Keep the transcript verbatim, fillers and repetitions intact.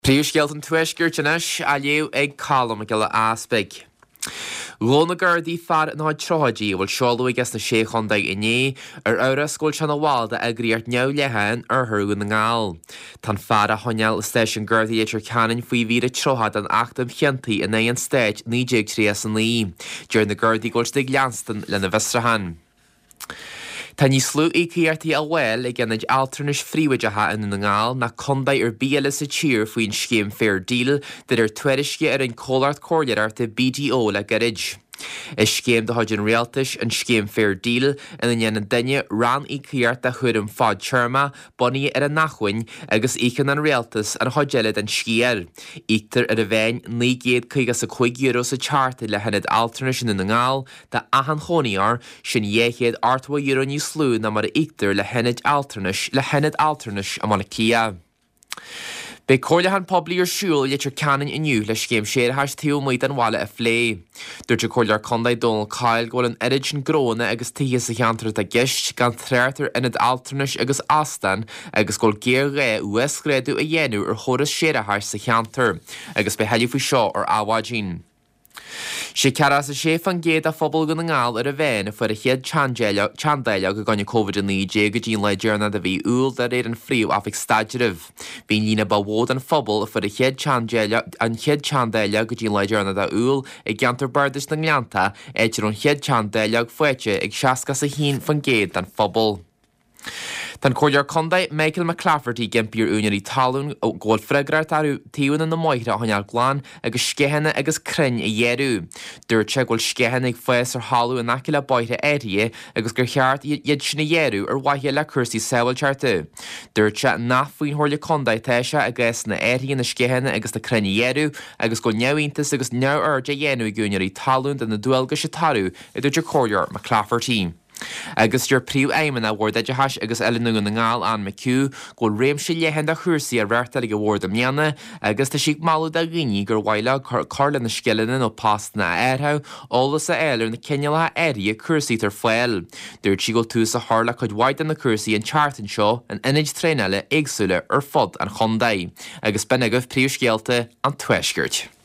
Príomhscéalta an Tuaiscirt anois á léamh ag Colm Mac Giolla Easpaig. Ghabh na Gardaí fear ina chuid tríochaidí a bhfuil seoladh aige sna Sé Chontae inné ar amhras go bhfuil sé ina bhall d'eagraíocht neamhdhleathach in oirthear Dhún na nGall. Tá an fear á choinneáil i Stáisiún Gardaí Leitir Ceanainn faoi mhír a tríocha den Acht um Chiontaí in aghaidh an Stáit naoi déag tríocha a naoi. Deir na Gardaí go bhfuil siad ag leanstan lena bhfiosrúchán. Tá níos lú íocaíochtaí á bhfáil ag ionaid altranais phríobháideacha i nDún na nGall ná contae ar bith eile sa tír faoin scéim Fair Deal de réir tuairisce a rinne comhlacht comhairleoireachta BDO le gairid. Is scéim de chuid an rialtais an scéim Fair Deal ina ndéanann duine ranníocaíocht de chúram fadtéarmach bunaithe ar a n-acmhainn agus íocann an rialtas an chuid eile den sciar. Íoctar ar an mheán naoi gcéad caoga is a cúig euro sa tseachtain le hionad altranais i nDún na nGall d'achan chónaitheoir, sin dhá chéad ochtó euro níos lú ná mar a íoctar le hionaid altranais le hionad altranais i mBaile Átha Cliath. Beidh comhairliúchán poiblí ar siúl i Leitir Ceanainn inniu le scéim séarachais taobh amuigh den bhaile a phlé. Dúirt an Comhairleoir Contae Dónal Coyle go bhfuil an oiread sin gnóanna agus tithe sa cheantar atá i gceist gan trácht ar ionad altranais agus óstán agus go bhfuil géarghá uasghrádú a dhéanamh ar chóras séarachais sa cheantar agus beidh tuilleadh faoi seo ar Adhmhaidin. Sé ceathracha a sé faoin gcéad de phobal Dhún na nGall ar an mheán a fuair a chéad teanndáileog i gcoinne Covid a naoi déag go dtí an lá deireanach de mhí Iúil de réir an Phríomh-Oifig Staidrimh. Bhí an líon ba mhó den phobal a fuair a chéad an chéad teanndáileog go dtí an lá deireanach de Iúil i gceantar Bardais na nGleannta, áit a raibh an chéad teanndáileog faighte ag seasca a haon faoin gcéad den phobal. Tá an Comhairleoir Contae Michael McClafferty ag impí ar úinéirí talún go bhfuil freagracht orthu taobhanna na mbóithre a choinneáil glan agus sceitheanna agus crainn a ghearradh. Dúirt sé go bhfuil sceitheanna ag fás ar thalamh in aice le bóithre áirithe agus gur cheart iad sin a ghearradh ar mhaithe le cúrsaí sábháilteachta. Dúirt sé nach faoin Chomhairle Contae atá sé i gcásanna áirithe na sceitheanna agus na crainn a ghearradh agus go bhfuil neamhiontas agus neamhaird á dhéanamh ag úinéirí talún de na dualgais atá orthu, a dúirt an Comhairleoir McClafferty. Agus deir Príomhfheidhmeannach Bhord Oideachais agus Oiliúna Dhún na nGall, Anne McHugh, go bhfuil réimse leathan de chúrsaí á reáchtáil ag an bhord i mbliana agus tá sí ag moladh do dhaoine gur mhaith leo cur lena scileanna nó postanna a athrú, eolas a fháil ar na cineálacha áirithe cúrsaí atá ar fáil. Dúirt sí go bhfuil tús á chur le cuid mhaith de na cúrsaí an tseachtain seo in ionaid traenála éagsúla ar fud an chontae. Agus b'in agaibh príomhscéalta an Tuaiscirt.